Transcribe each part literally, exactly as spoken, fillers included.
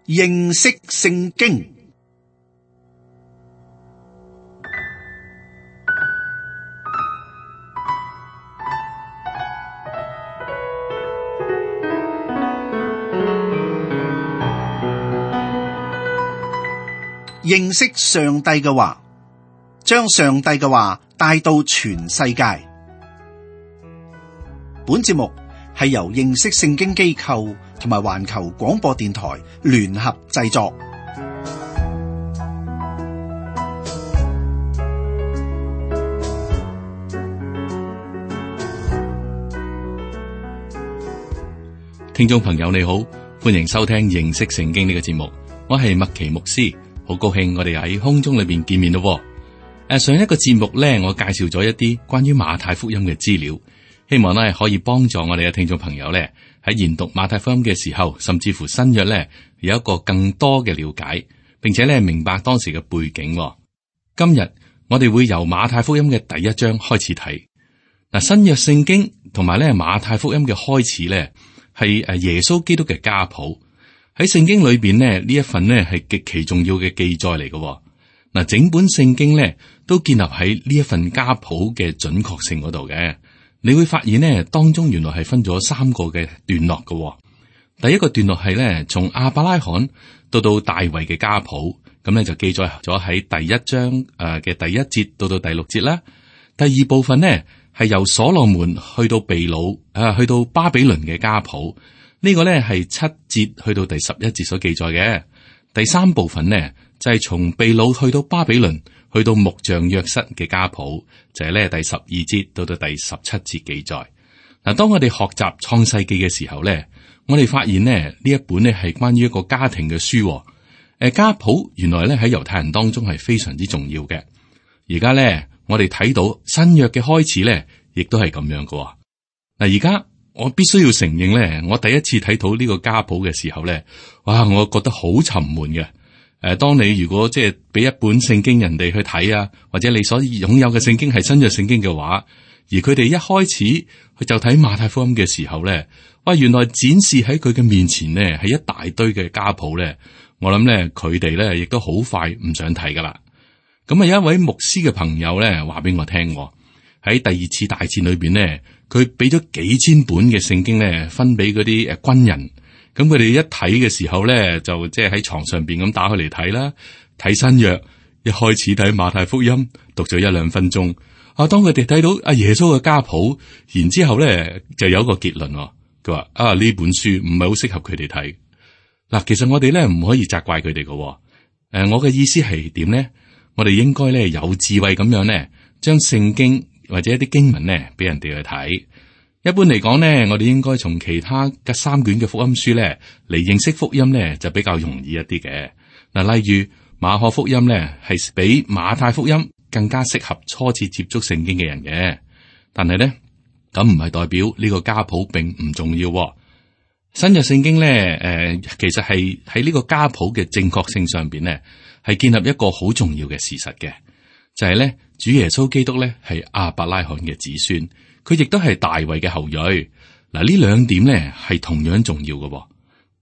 認識聖經。認識上帝嘅話，將上帝嘅話帶到全世界。本節目係由認識聖經機構同埋環球廣播電台聯合製作。聽眾朋友你好，歡迎收聽認識聖經呢個節目，我係麥奇牧師。好高興我哋喺空中裏邊見面咯。誒，上一個節目咧，我介紹咗一啲關於馬太福音嘅資料，希望咧可以幫助我哋嘅聽眾朋友咧喺研讀馬太福音嘅時候，甚至乎新約咧有一個更多嘅了解，並且咧明白當時嘅背景。今日我哋會由馬太福音嘅第一章開始睇。嗱，新約聖經同埋咧馬太福音嘅開始咧係誒耶穌基督嘅家譜。喺聖經裏邊呢，呢一份呢係極其重要嘅記載嚟嘅。嗱，整本聖經呢都建立喺呢一份家譜嘅準確性嗰度嘅。你會發現呢，當中原來係分咗三個嘅段落嘅。第一個段落係呢，從亞伯拉罕到到大衛嘅家譜，咁呢就記載咗喺第一章誒嘅第一節到到第六節啦。第二部分呢係由所羅門去到被擄誒去到巴比倫嘅家譜。呢個呢係七節去到第十一節所記載嘅。第三部分呢就係從被擄去到巴比倫，去到木匠約瑟嘅家譜，就係呢第十二節到到第十七節記載。嗱，當我哋學習創世記嘅時候呢，我哋發現呢呢一本呢係關於一個家庭嘅書。誒，家譜原來呢喺猶太人當中係非常之重要嘅。而家呢我哋睇到新約嘅開始呢，亦都係咁樣嘅。嗱，而家。我必須要承認咧，我第一次睇到呢個家譜嘅時候咧，哇！我覺得好沉悶嘅。誒、呃，當你如果即係俾一本聖經人哋去睇啊，或者你所擁有嘅聖經係新約聖經嘅話，而佢哋一開始佢就睇馬太福音嘅時候咧，哇！原來展示喺佢嘅面前呢係一大堆嘅家譜咧，我諗咧佢哋咧亦都好快唔想睇噶啦。咁啊，有一位牧師嘅朋友咧話俾我聽，喺第二次大戰裏邊呢。佢俾咗幾千本嘅聖經咧，分俾嗰啲誒軍人。咁佢哋一睇嘅時候咧，就即係喺床上邊咁打開嚟睇啦。睇新約，一開始睇馬太福音，讀咗一兩分鐘。啊，當佢哋睇到阿耶穌嘅家譜，然之後咧就有一個結論。佢話啊，呢本書唔係好適合佢哋睇。嗱，其實我哋咧唔可以責怪佢哋嘅。誒，我嘅意思係點咧？我哋應該咧有智慧咁樣咧，將聖經。或者一啲經文咧，俾人哋去睇。一般嚟講咧，我哋應該從其他嘅三卷嘅福音書咧嚟認識福音咧，就比較容易一啲嘅。嗱，例如馬可福音咧，係比馬太福音更加適合初次接觸聖經嘅人嘅。但係咧，咁唔係代表呢個家譜並唔重要。新約聖經咧，誒、呃，其實係喺呢個家譜嘅正確性上邊咧，係建立一個好重要嘅事實嘅，就係、是、咧。主耶穌基督咧係亞伯拉罕嘅子孫，佢亦都係大衛嘅後裔。嗱，呢兩點咧係同樣重要嘅，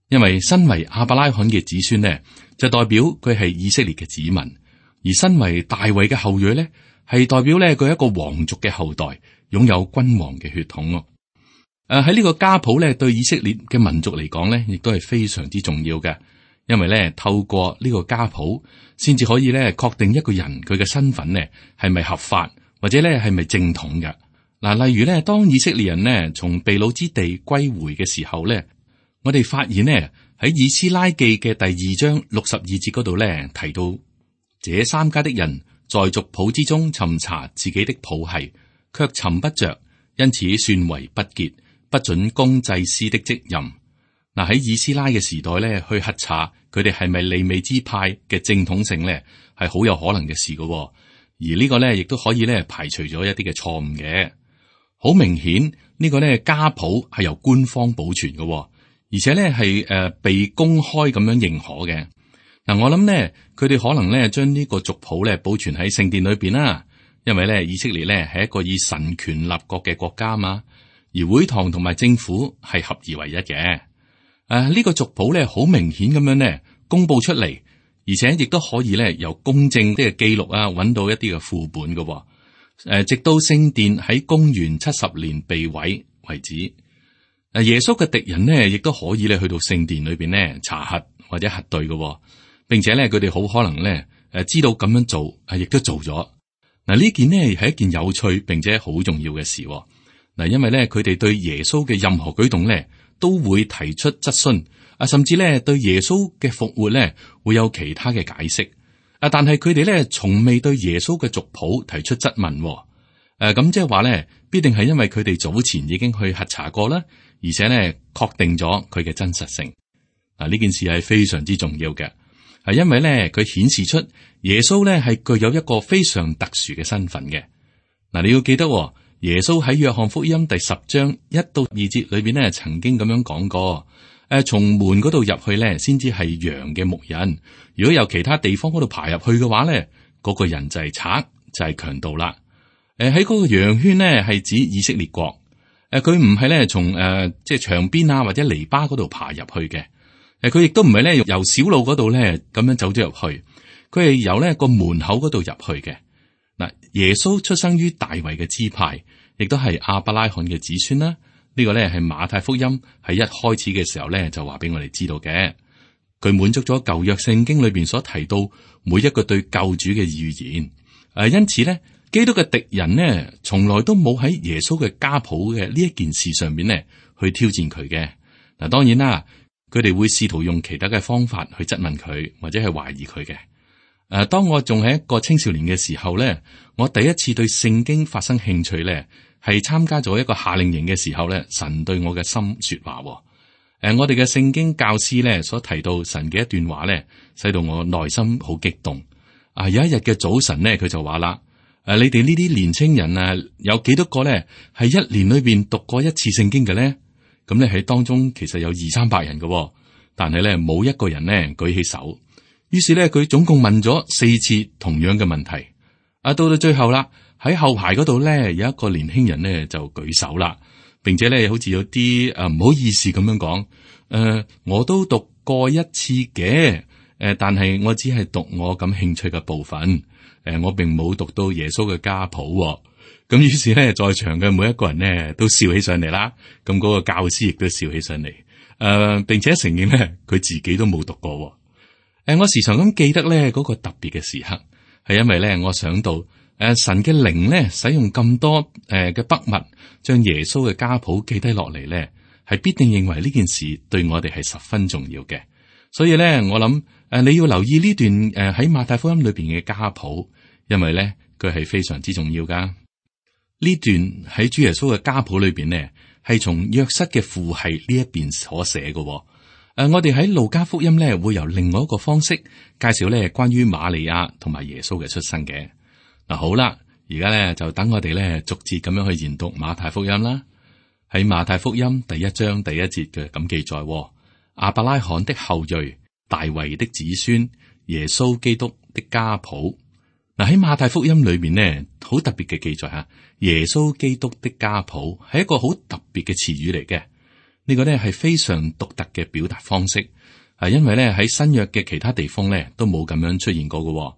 因為身為亞伯拉罕嘅子孫咧，就代表佢係以色列嘅子民；而身為大衛嘅後裔咧，係代表咧佢係一個皇族嘅後代，擁有君王嘅血統。誒、呃，喺呢個家譜咧，對以色列嘅民族嚟講咧，亦都係非常之重要嘅。因為咧，透過呢個家譜，先至可以咧確定一個人佢嘅身份咧係咪合法，或者咧係咪正統嘅。嗱，例如咧，當以色列人呢從被擄之地歸回嘅時候咧，我哋發現呢喺以斯拉記嘅第二章六十二節嗰度咧提到，這三家的人在族譜之中尋查自己的譜系，卻尋不着，因此算為不潔，不准供祭司的職任。嗱，喺以斯拉嘅時代咧，去核查佢哋係咪利未支派嘅正統性咧，係好有可能嘅事噶。而呢個咧，亦都可以咧排除咗一啲嘅錯誤嘅。好明顯，呢個咧家譜係由官方保存噶，而且咧係誒被公開咁樣認可嘅。嗱，我諗咧，佢哋可能咧將呢個族譜咧保存喺聖殿裏邊啦，因為咧以色列咧係一個以神權立國嘅國家嘛，而會堂同埋政府係合而為一嘅。誒、啊，呢、這個族譜咧，好明顯咁樣咧，公布出嚟，而且亦都可以咧由公正啲嘅記錄啊，揾到一啲嘅副本嘅。誒，直到聖殿喺公元七十年被毀為止。誒，耶穌嘅敵人呢，亦都可以咧去到聖殿裏邊呢查核或者核對嘅，並且咧佢哋好可能咧誒知道咁樣做，係亦都做咗。嗱，呢件呢係一件有趣並且好重要嘅事。嗱，因為咧佢哋對耶穌嘅任何舉動咧都會提出質詢，啊，甚至咧對耶穌嘅復活咧會有其他嘅解釋。啊，但係佢哋咧從未對耶穌嘅族譜提出質問。誒、啊，咁即係話咧，必定係因為佢哋早前已經去核查過啦，而且咧確定咗佢嘅真實性。嗱、啊，呢件事係非常之重要嘅，係因為咧佢顯示出耶穌咧係具有一個非常特殊嘅身份嘅。嗱、啊，你要記得、哦。耶穌喺約翰福音第十章一到二節裏邊咧，曾經咁樣講過：誒，從門嗰度入去咧，先至係羊嘅牧人。如果由其他地方嗰度爬入去嘅話咧，嗰、那個人就係賊，就係強盜啦。誒，喺嗰個羊圈咧，係指以色列國。誒，佢唔係咧從誒即係牆邊啊或者籬笆嗰度爬入去嘅。誒，佢亦都唔係咧由小路嗰度咧咁樣走咗入去。佢係由咧個門口嗰度入去嘅。嗱，耶穌出生於大衛嘅支派，亦都係亞伯拉罕嘅子孫啦。呢、這個咧係馬太福音喺一開始嘅時候咧就話俾我哋知道嘅。佢滿足咗舊約聖經裏邊所提到每一個對救主嘅預言。誒、啊，因此咧，基督嘅敵人呢，從來都冇喺耶穌嘅家譜嘅呢一件事上面呢去挑戰佢嘅。嗱、啊，當然啦，佢哋會試圖用其他嘅方法去質問佢，或者係懷疑佢嘅。誒、啊，當我仲係一個青少年嘅時候咧，我第一次對聖經發生興趣咧，係參加咗一個夏令營嘅時候咧，神對我嘅心說話。誒、啊，我哋嘅聖經教師咧所提到神嘅一段話咧，使到我內心好激動。啊，有一日嘅早晨咧，佢就話啦：誒、啊，你哋呢啲年青人啊，有幾多個咧係一年裏邊讀過一次聖經嘅咧？咁咧喺當中其實有二三百人嘅，但係咧冇一個人咧舉起手。於是咧，佢總共問咗四次同樣嘅問題。啊，到到最後啦，喺後排嗰度咧，有一個年輕人咧就舉手啦，並且咧好似有啲誒唔好意思咁樣講。誒、呃，我都讀過一次嘅，誒、呃，但係我只係讀我感興趣嘅部分。誒、呃，我並冇讀到耶穌嘅家譜、哦。咁於是咧，在場嘅每一個人咧都笑起上嚟啦。咁嗰個教師亦都笑起上嚟。誒、呃，並且承認咧，佢自己都冇讀過、哦。誒，我時常咁記得咧嗰個特別嘅時刻，係因為咧我想到誒神嘅靈咧使用咁多誒嘅筆墨，將耶穌嘅家譜記低落嚟咧，係必定認為呢件事對我哋係十分重要嘅。所以咧，我諗誒你要留意呢段誒喺馬太福音裏邊嘅家譜，因為咧佢係非常之重要噶。呢段喺主耶穌嘅家譜裏邊呢，係從約瑟嘅父系呢一邊所寫嘅。誒、呃，我哋喺路加福音咧，會由另外一個方式介紹咧關於瑪利亞同埋耶穌嘅出生嘅。嗱、啊，好啦，而家咧就等我哋咧逐節咁樣去研讀馬太福音啦。喺馬太福音第一章第一節嘅咁記載：亞伯拉罕的後裔，大衛的子孫，耶穌基督的家譜。嗱、啊，喺馬太福音裏邊呢，好特別嘅記載吓，耶穌基督的家譜係一個好特別嘅詞語嚟嘅。呢個咧係非常獨特嘅表達方式，係因為咧喺新約嘅其他地方咧都冇咁樣出現過嘅。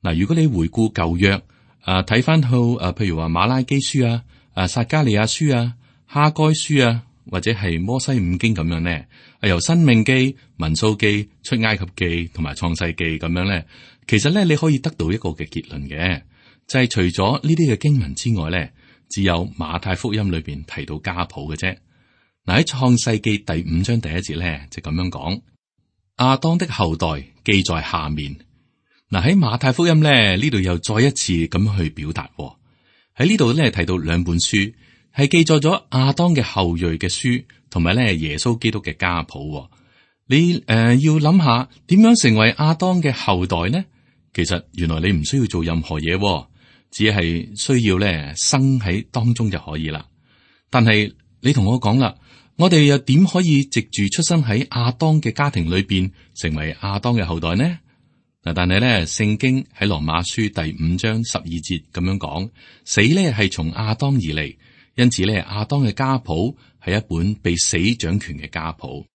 嗱，如果你回顧舊約，啊睇翻到啊，譬如話馬拉基書啊、啊撒迦利亞書啊、哈該書啊，或者係摩西五經咁樣咧，係由申命記、民數記、出埃及記同埋創世記咁樣咧，其實咧你可以得到一個嘅結論嘅，就係、是、除咗呢啲嘅經文之外咧，只有馬太福音裏邊提到家譜嘅啫。嗱，喺創世記第五章第一節咧就咁樣講，亞當的後代記在下面。嗱，喺馬太福音咧呢度又再一次咁去表達，喺呢度咧提到兩本書係記載咗亞當嘅後裔嘅書，同埋咧耶穌基督嘅家譜。你誒、呃、要諗下點樣成為亞當嘅後代呢？其實原來你唔需要做任何嘢，只係需要咧生喺當中就可以啦。但係你同我講啦。我哋又點可以藉住出生喺亞當嘅家庭裏邊，成為亞當嘅後代呢？嗱，但係咧，聖經喺羅馬書第五章十二節咁樣講，死咧係從亞當而嚟，因此咧亞當嘅家譜係一本被死掌權嘅家譜。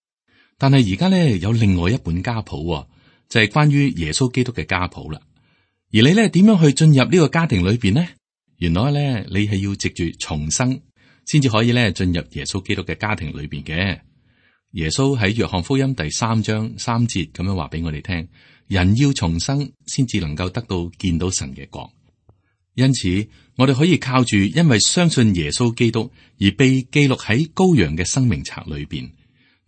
但係而家咧有另外一本家譜，就係關於耶穌基督嘅家譜啦。而你咧點樣去進入呢個家庭裏邊呢？原來咧你係要藉住重生，先至可以咧進入耶穌基督嘅家庭裏邊嘅。耶穌喺約翰福音第三章三節咁樣話俾我哋聽：人要重生，先至能夠得到見到神嘅國。因此，我哋可以靠住因為相信耶穌基督而被記錄喺羔羊嘅生命冊裏邊。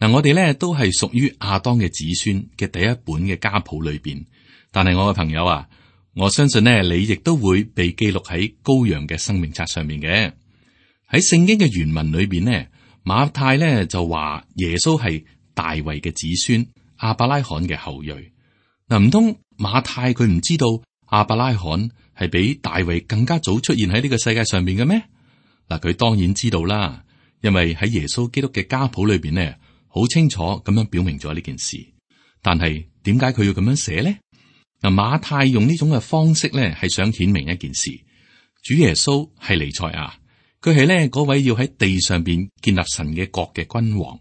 嗱，我哋咧都係屬於亞當嘅子孫嘅第一本嘅家譜裏邊。但係我嘅朋友啊，我相信呢，你亦都會被記錄喺羔羊嘅生命冊上面嘅。喺聖經嘅原文裏邊呢，馬太呢就話耶穌係大衛嘅子孫，亞伯拉罕嘅後裔。嗱，唔通馬太佢唔知道亞伯拉罕係比大衛更加早出現喺呢個世界上面嘅咩？嗱，佢當然知道啦，因為喺耶穌基督嘅家譜裏邊呢，好清楚咁樣表明咗呢件事。但係點解佢要咁樣寫呢？嗱，馬太用呢種嘅方式咧，係想顯明一件事：主耶穌係彌賽亞，佢係咧嗰位要喺地上邊建立神嘅國嘅君王。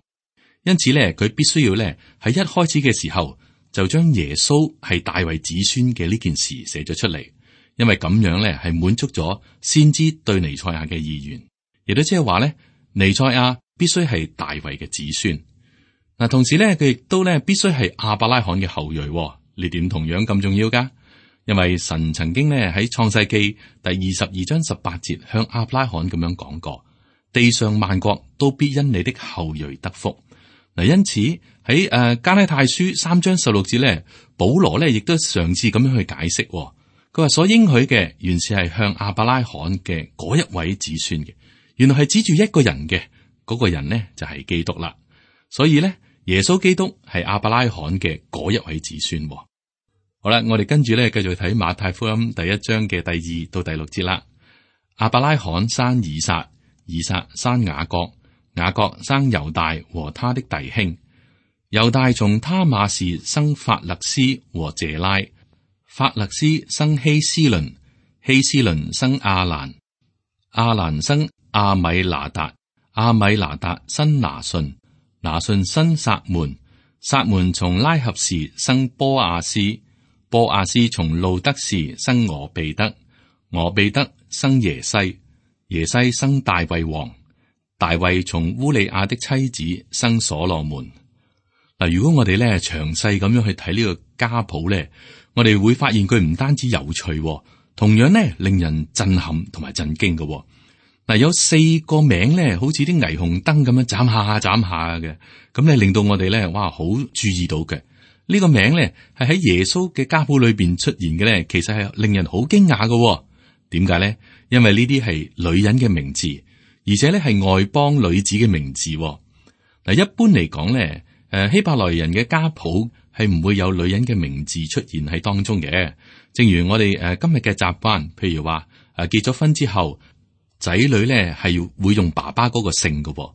因此咧，佢必須要咧喺一開始嘅時候就將耶穌係大衛子孫嘅呢件事寫咗出嚟，因為咁樣咧係滿足咗先知對彌賽亞嘅意願，亦都即係話咧彌賽亞必須係大衛嘅子孫。嗱，同時咧佢亦都咧必須係亞伯拉罕嘅後裔。呢點同樣咁重要噶，因為神曾經咧喺創世記第二十二章十八節向亞伯拉罕咁樣講過：地上萬國都必因你的後裔得福。嗱，因此喺誒加拉太書三章十六節咧，保羅咧亦都嘗試咁樣去解釋。佢話所應許嘅原是係向亞伯拉罕嘅嗰一位子孫嘅，原來係指住一個人嘅，嗰個人呢就係基督啦。所以咧，耶穌基督係亞伯拉罕嘅嗰一位子孫。好啦，我哋跟住咧繼續睇馬太福音第一章嘅第二到第六節啦。亞伯拉罕生以撒，以撒生雅各，雅各生猶大和他的弟兄。猶大從他瑪士生法勒斯和謝拉，法勒斯生希斯倫，希斯倫生亞蘭，亞蘭生亞米拿達，亞米拿達生拿順，拿順生撒門，撒門從拉合士生波亞斯，波亞斯從路德士生俄備德，俄備德生耶西，耶西生大衛王，大衛從烏利亞的妻子生所羅門。嗱，如果我哋咧詳細咁樣去睇呢個家譜咧，我哋會發現佢唔單止有趣，同樣咧令人震撼同埋震驚嘅。嗱，有四個名咧，好似啲霓虹燈咁樣眨下眨下嘅，咁咧令到我哋咧，哇，好注意到嘅。呢個名咧係喺耶穌嘅家譜裏邊出現嘅咧，其實係令人好驚訝嘅。點解咧？因為呢啲係女人嘅名字，而且咧係外邦女子嘅名字。嗱，一般嚟講咧，誒希伯來人嘅家譜係唔會有女人嘅名字出現喺當中嘅。正如我哋誒今日嘅習慣，譬如話誒結咗婚之後，仔女咧係要會用爸爸嗰個姓嘅。誒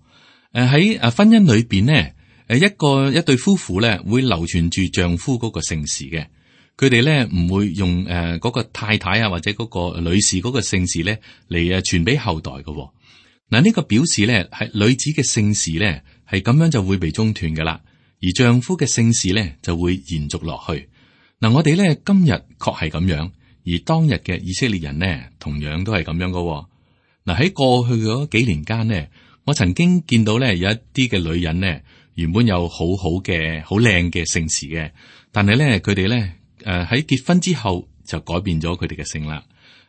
喺誒婚姻裏邊咧。誒，一個一對夫婦咧會流傳住丈夫嗰個姓氏嘅，佢哋咧唔會用誒嗰個太太啊或者嗰個女士嗰個姓氏咧嚟誒傳俾後代嘅。嗱，呢個表示咧係女子嘅姓氏咧係咁樣就會被中斷噶啦，而丈夫嘅姓氏咧就會延續落去。嗱，我哋咧今日確係咁樣，而當日嘅以色列人呢，同樣都係咁樣噶。嗱，喺過去嗰幾年間呢，我曾經見到咧有一啲嘅女人呢。原本有好好嘅、好靚嘅姓氏嘅，但係咧佢哋咧誒喺結婚之後就改變咗佢哋嘅姓啦。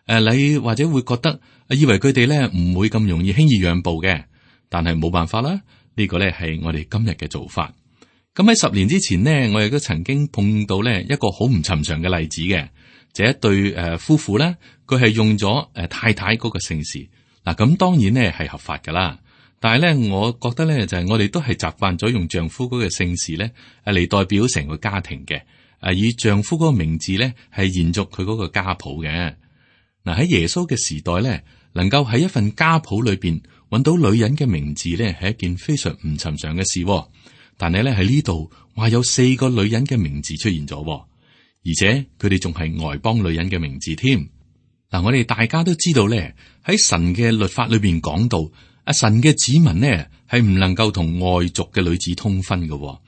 誒、呃，你或者會覺得以為佢哋咧唔會咁容易輕易讓步嘅，但係冇辦法啦。這個、呢個咧係我哋今日嘅做法。咁喺十年之前呢，我亦都曾經碰到咧一個好唔尋常嘅例子嘅，就一對誒夫婦咧，佢係用咗誒太太嗰個姓氏。嗱，咁當然咧係合法噶啦。但係咧，我覺得咧就係我哋都係習慣咗用丈夫嗰個姓氏咧，誒嚟代表成個家庭嘅，誒以丈夫嗰個名字咧係延續佢嗰個家譜嘅。嗱，喺耶穌嘅時代咧，能夠喺一份家譜裏邊揾到女人嘅名字咧，係一件非常唔尋常嘅事。但係咧喺呢度話有四個女人嘅名字出現咗，而且佢哋仲係外邦女人嘅名字添。嗱，我哋大家都知道咧，喺神嘅律法裏邊講到。阿神嘅子民呢係唔能夠同外族嘅女子通婚嘅。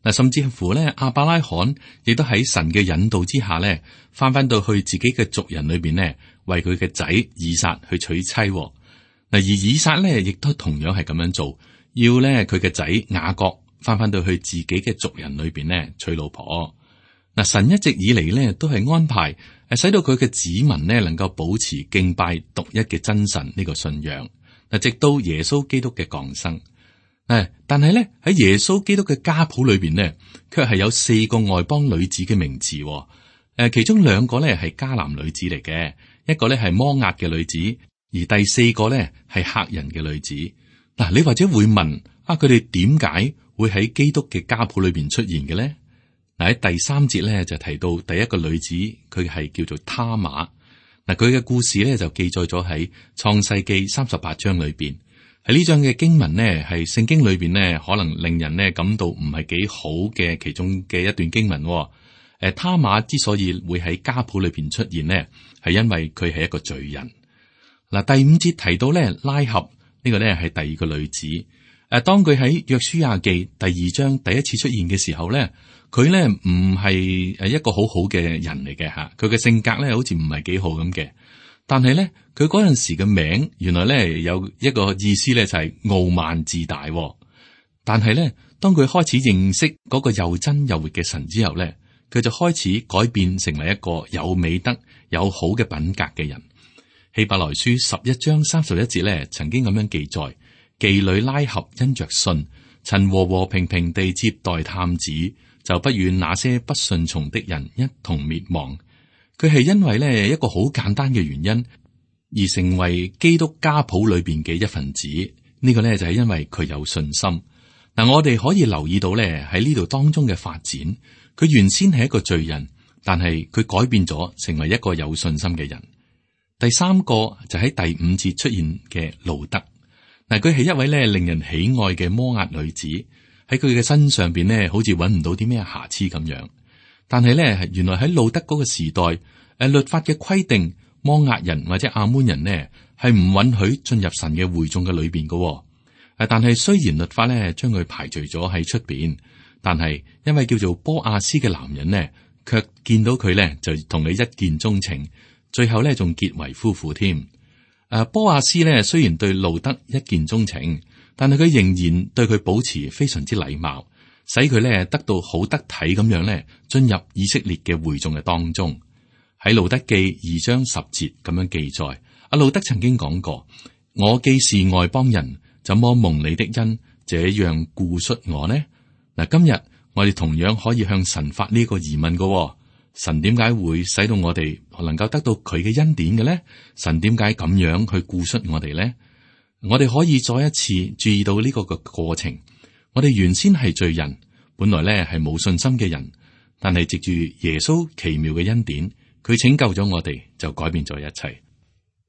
嗱，甚至乎咧，亞伯拉罕亦都喺神嘅引導之下咧，翻翻到去自己嘅族人裏邊咧，為佢嘅仔以撒去娶妻。嗱，而以撒咧，亦都同樣係咁樣做，要咧佢嘅仔雅各翻翻到去自己嘅族人裏邊咧娶老婆。嗱，神一直以嚟咧都係安排誒，使到佢嘅子民咧能夠保持敬拜獨一嘅真神呢個信仰。嗱，直到耶穌基督嘅降生。誒，但係咧喺耶穌基督嘅家譜裏邊咧，卻係有四個外邦女子嘅名字。誒，其中兩個咧係迦南女子嚟嘅，一個咧係摩押嘅女子，而第四個咧係赫人嘅女子。嗱，你或者會問啊，佢哋點解會喺基督嘅家譜裏邊出現嘅咧？嗱，喺第三節咧就提到第一個女子，佢係叫做他瑪。嗱，佢嘅故事咧就記載咗喺創世記三十八章裏邊。喺呢章嘅經文呢，係聖經裏邊呢，可能令人呢感到唔係幾好嘅其中嘅一段經文。誒，他瑪之所以會喺家譜裏邊出現呢，係因為佢係一個罪人。嗱，第五節提到咧拉合呢個呢係第二個女子。誒，當佢喺約書亞記第二章第一次出現嘅時候咧，佢咧唔係誒一個好好嘅人嚟嘅吓，佢嘅性格咧好似唔係幾好咁嘅。但係咧，佢嗰陣時嘅名原來咧有一個意思咧就係傲慢自大。但係咧，當佢開始認識嗰個又真又活嘅神之後咧，佢就開始改變成為一個有美德、有好嘅品格嘅人。希伯來書十一章三十一節咧，曾經咁樣記載：妓女拉合因着信，曾和和平平地接待探子，就不與那些不順從的人一同滅亡。佢係因為咧一個好簡單嘅原因而成為基督家譜裏邊嘅一份子。呢個咧就係因為佢有信心。嗱，我哋可以留意到咧喺呢度當中嘅發展，佢原先係一個罪人，但係佢改變咗成為一個有信心嘅人。第三個就喺第五節出現嘅路德。嗱，佢係一位咧令人喜愛嘅摩押女子，喺佢嘅身上邊咧好似揾唔到啲咩瑕疵咁樣。但係咧，原來喺路德嗰個時代，誒，律法嘅規定，摩押人或者亞捫人呢係唔允許進入神嘅會眾嘅裏邊嘅。誒，但係雖然律法咧將佢排除咗喺出邊，但係因為叫做波阿斯嘅男人呢，卻見到佢咧就同你一見鍾情，最後咧仲結為夫婦添。誒，波阿斯咧雖然對路德一見鍾情，但係佢仍然對佢保持非常之禮貌。使佢咧得到好得體咁樣咧進入以色列嘅會眾嘅當中。喺路德記二章十節咁樣記載，阿路德曾經講過：我既是外邦人，怎麼蒙你的恩這樣顧恤我呢？嗱，今日我哋同樣可以向神發呢個疑問噶。神點解會使到我哋能夠得到佢嘅恩典嘅咧？神點解咁樣去顧恤我哋咧？我哋可以再一次注意到呢個嘅過程。我哋原先係罪人，本來咧係冇信心嘅人，但係藉住耶穌奇妙嘅恩典，佢拯救咗我哋，就改變咗一切。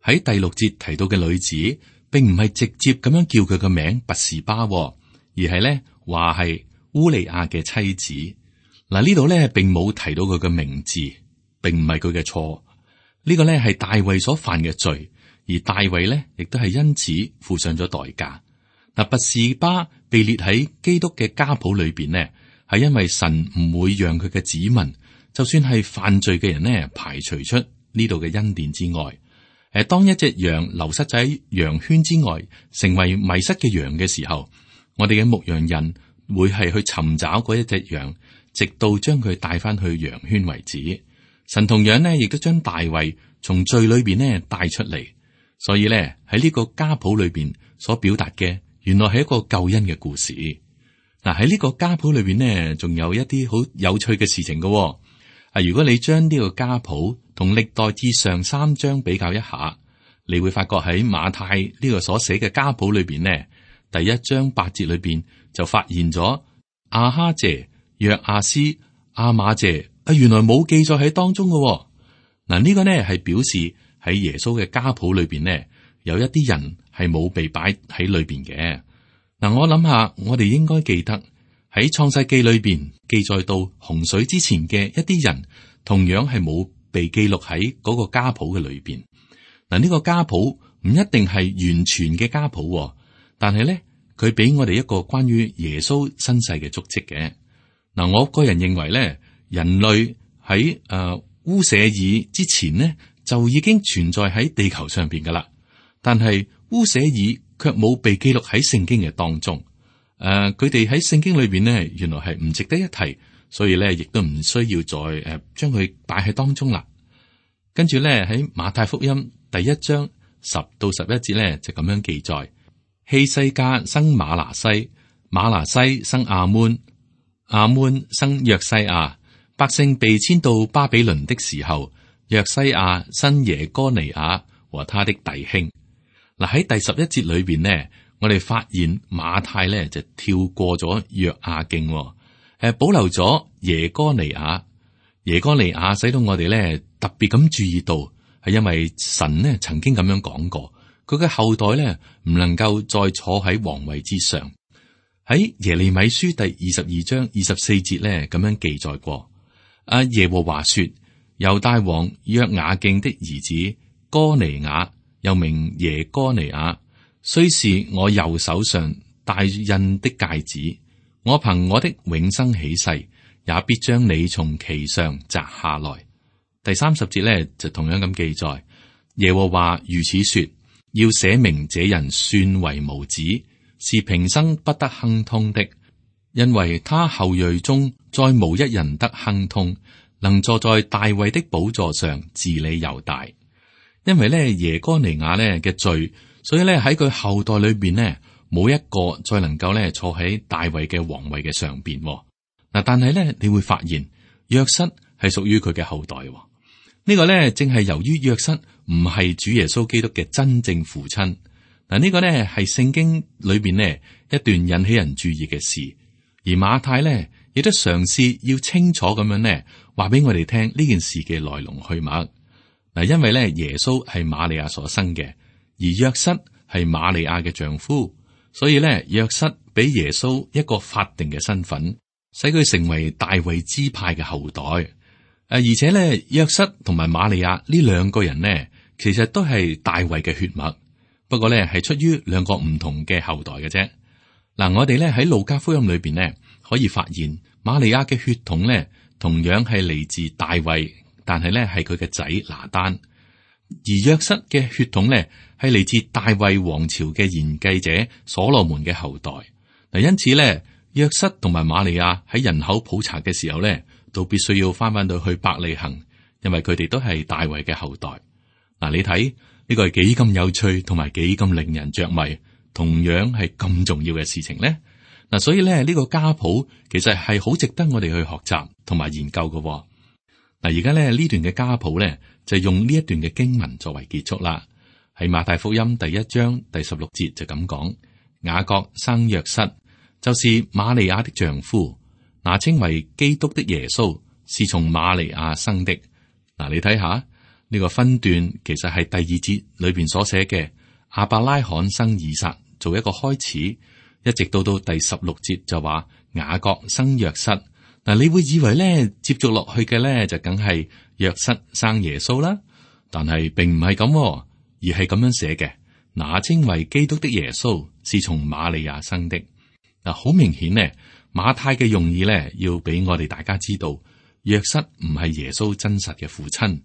喺第六節提到嘅女子，並唔係直接咁樣叫佢個名拔示巴，而係咧話係烏利亞嘅妻子。嗱，呢度咧並冇提到佢嘅名字，並唔係佢嘅錯。呢個咧係大衛所犯嘅罪，而大衛咧亦都係因此付上咗代價。嗱，拔示巴被列喺基督嘅家譜裏邊呢，係因為神唔會讓佢嘅子民，就算係犯罪嘅人呢，排除出呢度嘅恩典之外。誒，當一隻羊流失喺羊圈之外，成為迷失嘅羊嘅時候，我哋嘅牧羊人會係去尋找嗰一隻羊，直到將佢帶翻去羊圈為止。神同樣呢，亦都將大衛從罪裏邊呢帶出嚟。所以咧喺呢個家譜裏邊所表達嘅，原來係一個救恩嘅故事。嗱，喺呢個家譜裏邊呢，仲有一啲好有趣嘅事情嘅、哦。啊，如果你將呢個家譜同歷代志上三章比較一下，你會發覺喺馬太呢個所寫嘅家譜裏邊呢，第一章八節裏邊就發現咗亞哈謝、約阿斯、亞瑪謝啊，原來冇記載喺當中嘅、哦。嗱，呢個呢係表示喺耶穌嘅家譜裏邊呢，有一啲人係冇被擺喺裏邊嘅。嗱，我諗下，我哋應該記得喺創世記裏邊記載到洪水之前嘅一啲人，同樣係冇被記錄喺嗰個家譜嘅裏邊。嗱，呢個家譜唔一定係完全嘅家譜，但係咧，佢俾我哋一個關於耶穌身世嘅足跡嘅。嗱，我個人認為咧，人類喺誒烏舍爾之前呢，就已經存在喺地球上邊噶啦。但係烏舍爾卻冇被記錄喺聖經嘅當中。誒、呃，佢哋喺聖經裏邊呢，原來係唔值得一提，所以咧亦都唔需要再誒將佢擺喺當中啦。跟住咧喺馬太福音第一章十到十一節咧就咁樣記載：希西家生馬拿西，馬拿西生亞捫，亞捫生約西亞。百姓被遷到巴比倫的時候，約西亞生耶哥尼雅和他的弟兄。嗱，喺第十一節裏邊呢，我哋發現馬太咧就跳過咗約雅敬，誒保留咗耶哥尼雅。耶哥尼雅使到我哋咧特別咁注意到，係因為神呢曾經咁樣講過，佢嘅後代咧唔能夠再坐喺皇位之上。喺耶利米書第二十二章二十四節咧咁樣記載過。阿耶和華說：猶大王約雅敬的兒子哥尼雅，又名耶哥尼雅，雖是我右手上戴印的戒指，我憑我的永生起誓，也必將你從其上摘下來。第三十節咧就同樣咁記載：耶和華如此說，要寫明這人算為無子，是平生不得亨通的。因為他後裔中再無一人得亨通，能坐在大衛的寶座上治理猶大。因為咧耶哥尼雅咧嘅罪，所以咧喺佢後代裏邊呢，冇一個再能夠咧坐喺大衛嘅皇位嘅上邊。嗱，但係咧你會發現約瑟係屬於佢嘅後代。呢個咧正係由於約瑟唔係主耶穌基督嘅真正父親。嗱，呢個咧係聖經裏邊呢一段引起人注意嘅事。而馬太咧，亦都嘗試要清楚咁樣咧，話俾我哋聽呢件事嘅來龍去脈。嗱，因為咧耶穌係瑪利亞所生嘅，而約瑟係瑪利亞嘅丈夫，所以咧約瑟俾耶穌一個法定嘅身份，使佢成為大衛支派嘅後代。誒，而且咧約瑟同埋瑪利亞呢兩個人呢，其實都係大衛嘅血脈，不過咧係出於兩個唔同嘅後代嘅啫。嗱，我哋咧喺路加福音裏邊咧，可以發現瑪利亞嘅血統咧，同樣係嚟自大衛，但係咧係佢嘅仔拿單；而約瑟嘅血統咧，係嚟自大衛王朝嘅賢繼者所羅門嘅後代。嗱，因此咧，約瑟同埋瑪利亞喺人口普查嘅時候咧，都必須要翻返到去伯利恆，因為佢哋都係大衛嘅後代。嗱，你睇呢個係幾咁有趣，同埋幾咁令人着迷。同樣係咁重要嘅事情咧，嗱，所以咧呢個家譜其實係好值得我哋去學習同埋研究嘅。嗱，而家咧呢段嘅家譜咧就用呢一段嘅經文作為結束啦。喺馬太福音第一章第十六節就咁講：雅各生約瑟，就是瑪利亞的丈夫，那稱為基督的耶穌，是從瑪利亞生的。嗱，你睇下呢個分段，其實係第二節裏邊所寫嘅亞伯拉罕生以撒做一個開始，一直到到第十六節就話雅各生約瑟。嗱，你會以為咧接續落去嘅咧就梗係約瑟生耶穌啦，但係並唔係咁，而係咁樣寫嘅。那稱為基督的耶穌，是從瑪利亞生的。嗱，好明顯呢，馬太嘅用意咧要俾我哋大家知道，約瑟唔係耶穌真實嘅父親。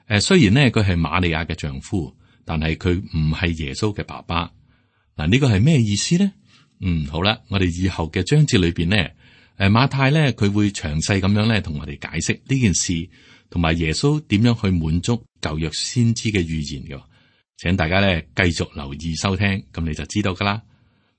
誒，雖然呢，佢係瑪利亞嘅丈夫，但係佢唔係耶穌嘅爸爸。嗱，呢個係咩意思呢？嗯，好啦，我哋以後嘅章節裏邊呢，誒，馬太咧佢會詳細咁樣咧同我哋解釋呢件事，同埋耶穌點樣去滿足舊約先知嘅預言嘅。請大家咧繼續留意收聽，咁你就知道噶啦。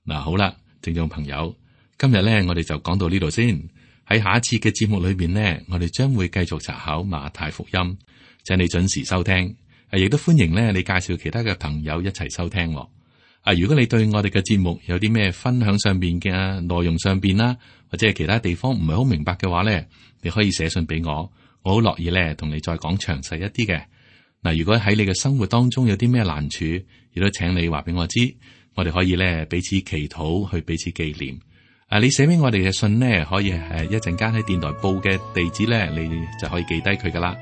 嗱，好啦，聽眾朋友，今日咧我哋就講到呢度先。喺下一次嘅節目裏邊呢，我哋將會繼續查考馬太福音，請你準時收聽。亦都歡迎咧，你介紹其他嘅朋友一齊收聽。啊，如果你對我哋嘅節目有啲咩分享上邊嘅內容上邊啦，或者係其他地方唔係好明白嘅話咧，你可以寫信俾我，我好樂意咧同你再講詳細一啲嘅。嗱，如果喺你嘅生活當中有啲咩難處，亦都請你話俾我知，我哋可以咧彼此祈禱，去彼此紀念。啊，你寫俾我哋嘅信呢，可以誒一陣間喺電台報嘅地址咧，你就可以記低佢噶啦。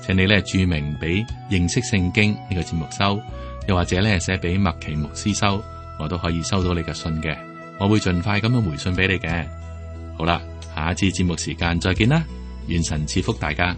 請你咧注明俾認識聖經呢個節目收，又或者咧寫俾麥奇牧師收，我都可以收到你嘅信嘅，我會盡快咁樣回信俾你嘅。好啦，下一次節目時間再見啦，願神賜福大家。